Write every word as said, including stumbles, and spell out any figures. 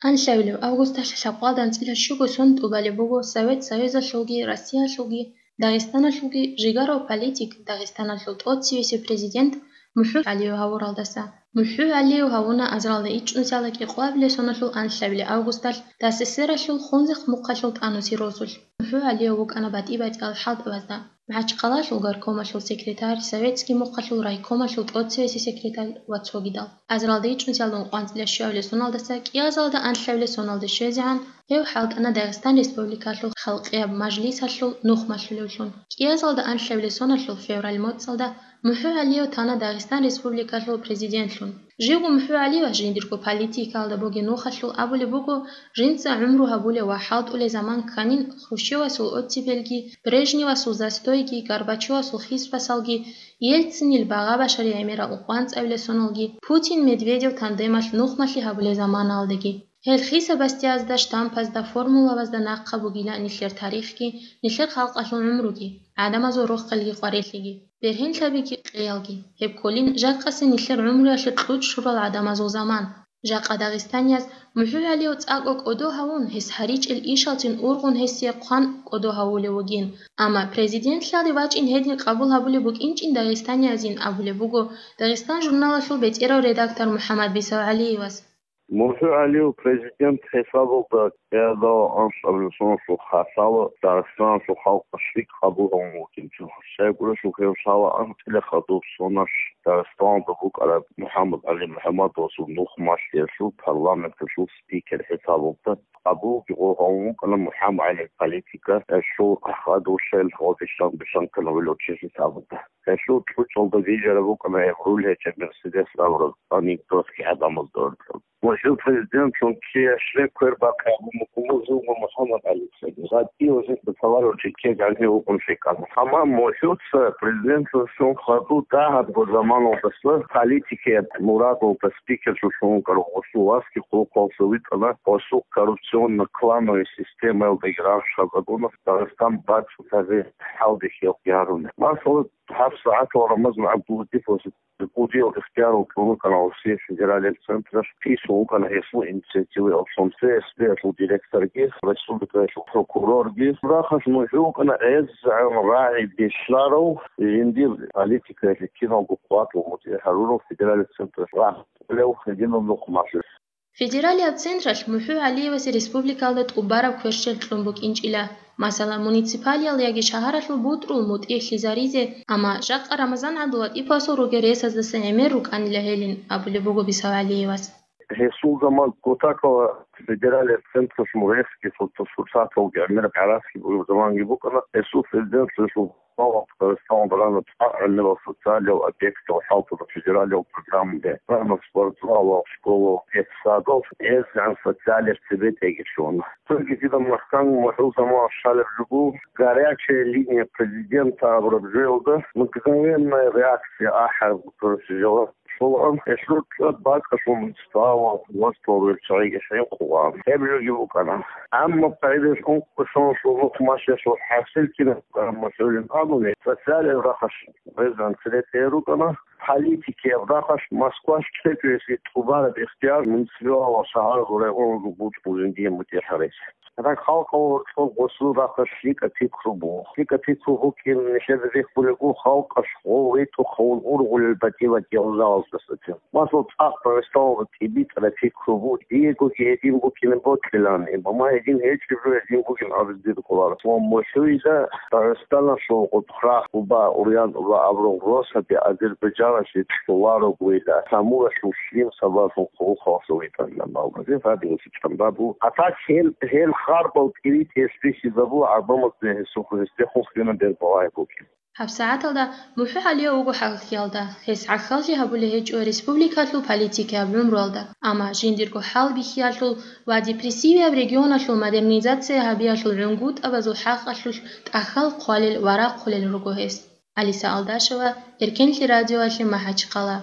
Анлъабилеб августалъ лъабкъоялда анцӀила щуго сон тӀубалеб буго Совет Союзалъулги Россиялъулги Дагъистаналъулги жигарав политик, Дагъистаналъул тӀоцевесев президент МухӀу ГӀалиев гьавуралдаса. МухӀу ГӀалиев гьавуна азаралда ичӀнусиялда кӀикъоабилеб соналъул анлъабилеб августалъ ДССРалъул Хунзахъ мухъалъул тӀанусеб росулъ. МухӀу ГӀалиев вукӀана батӀи-батӀиял хӀалтӀабазда: МахӀачхъалалъул горкомалъул секретарь, советский мухъалъул райкомалъул тӀоцевесев секретарь ва цогидал. Азаралда ичӀнусиялда ункъоялда анцӀила щуабилеб соналдаса кӀиазалда анлъабилеб соналде щвезегӀан гьев хӀалтӀана Дагъистан Республикалъул Халкъияб Мажлисалъул нухмалъулевлъун. КӀиазалда анлъабилеб соналъул февраль моцӀалда МухӀу ГӀалиев тана Дагъистан Республикалъул президентлъун. Живго МухӀу ГӀалиевас жиндирго политикалда бугеб нухалъул абулеб буго, жинца гӀумру гьабулеб ва хӀалтӀулеб заман кканин Хрущевасул оттепельги, Брежневасул застойги, Горбачевасул хисбасалги, Ельцинил багъа-башари гӀемерал ункъоялда анцӀабилеб соналги, Путин-Медведев тандемалъ нухмалъи гьабулеб заманалдаги. Гьел хисабасдиязда, штампазда, формулабазда нахъа бугила нилъер тарихги, нилъер халкъалъул гӀумруги, гӀадамазул рохелги къварилъиги, бергьенлъабиги къиялги. Гьеб кколин жакъасеб нилъер гӀумруялъе кьучӀ щурал гӀадамазул заман. Жакъа дагъистанияз МухӀу ГӀалиев цӀакъго кӀодо гьавун, гьес гьаричӀел ишалцин ургъун гьесие хъван кӀодо гьавулев вугин. Амма президентлъиялде вачӀин гьедин къабул гьабулеб букӀинчӀин дагъистаниязин абулеб буго Дагъистан журналалъул бетӀерав редактор МухӀаммад БисавгӀалиевас. МухӀу ГӀалиев президент хӀисабалда кӀиазалда анлъабилеб соналъул хасало Дагъистаналъул халкъалъ лъикӀ къабул гьавун вукӀинчӀо. Щайгурелъул гьев лъала анцӀила хадуб соналъ Дагъистаналда букӀараб МухӀаммад ГӀали МухӀаммадовасул нухмалъиялъул парламенталъул спикер хӀисабалда къабулги гъо гьавун вукӀана МухӀаммад ГӀалиев политика, гьелъул хадур лъел гъодилъан билълъан ккана гьелъул чи хӀисабалда. Гьелъул кьучӀалда бижараб букӀана гьеб руль гьечӀеб Мерседес абураб анекдотги гӀадамазда уркьуб. МухӀу президентлъун кияшлъе квербахъи абун буго мурзулго МухӀаммад ГӀалицаги. ГъатӀи ва жинца товарищ чечен гӀанив вукӀун лъикӀана. Амма МухӀуца президентлъун хадуб дагьабго заманалдаса политикияб мурадалда спикерлъун вукӀарав гъосул васги хъулухъалъув витӀана гъосул коррупционно-клановый системаялдаги рагъ щвезабуна Дагъистан бацӀцӀадаб хӀалбихьиялъ гьаруна. Масала, гьабсагӀатал Рамазан ГӀабдуллатиповас кӀудиял ихтияр кьун вукӀана Россиялъ федералияб централъ, кьисун вукӀана гьесул инициативаялъун С С П-ялъул директорги, республикаялъул прокурорги. Рахъалъ МухӀу вукӀана гӀезегӀан рагӀи бихьарав, жиндир политикаялъе киналго къватӀун мутӀигӀ гьарурав федералияб централъ рагъ кьолев гьединаб нухмалъи. Федералияб централъ МухӀу ГӀалиевасе республикалда тӀубараб кверщел кьун букӀинчӀила. Масала, муниципалиял яги шагьаралъул бутӀрул мутӀигӀлъизаризе, амма жакъа Рамазан ГӀабдуллатиповасул ругел ресаздаса гӀемер рукӀанила гьелин, абулеб буго БисавгӀалиевас. Гьесул заман Кутакова федералияб централъ муресги, суртасурсаталги гӀемер гӀарасги бугеб заманги букӀана, гьесул президентлъиялъул Дагъистаналда рана цӀакъ гӀемерал социалиял объектал хӀалтӀула федералиял программаби, рана спортзалал, школал, детсадал, гӀезегӀан социалияб цебетӀейги щвана. Цоги дида махкан МухӀул заман щалеб жо буго, «Горячая линия президента» абураб жоялда мгновенная реакция ахӀараб, короче, жаваб щолаан, гьелъул цӀад бакӀалъул муниципалал власталъул руччабиги хӀинкъулаан. Гьеб жоги букӀана. Амма къайдалъ ункъо соналъул нухмалъиялъул хӀасил кинаб букӀана МухӀулин абуни, социалияб рахъалъ гӀезегӀан цере тӀерукӀана, политикияб рахъалъ Москвалъ кьечӀого гьесие тӀубараб ихтияр муниципалал ва шагьаралъул районазул бутӀрулин дие мутӀигӀ гьаризе. Гьеб халкъалъул гьоркьоб гъосул рахъалъ лъикӀаб пикру буго. ЛъикӀаб пикру букӀин нилъеда рихьулеб буго халкъалъ гъов ритӀухъавун ургъулел батӀи-батӀиял жалаздасацин. Масала, цӀакъ Дагъистаналда тӀибитӀараб пикру буго, диегоги гьедин букӀине бокьилан, амма гьедин гьечӀеб жо гьедин бугин абизе дир кколаро. Ва МухӀуйда Дагъистаналъул Къутхрах, Къуба, Урьян-Уба абурал росаби Азербайджаналъе кьоларогойила, Самуралъул лъим сабаблъун хъулухъалъув витӀарилан балбазе гьабизе чӀамбабу. А так гьел, гьел харбал кӀиритӀиялъ бихьизабула гӀадамазда гьесухъ гьесдехун хьуна бер балагьи букӀин. ГьабсагӀаталда МухӀу ГӀалиев вуго хӀалхьиялда, гьес гӀахьаллъи гьабулеб гьечӀо республикалъул политикияб гӀумруялда, амма жиндирго хӀалбихьиялъул ва депрессивияб регионалъул модернизация гьабиялъул гӀунгутӀабазул хӀакъалъулъ тӀахьал хъвалел ва рахъулел руго гьес. Алиса Алдашева, Эркенлъи радиоялъе, МахӀачхъала.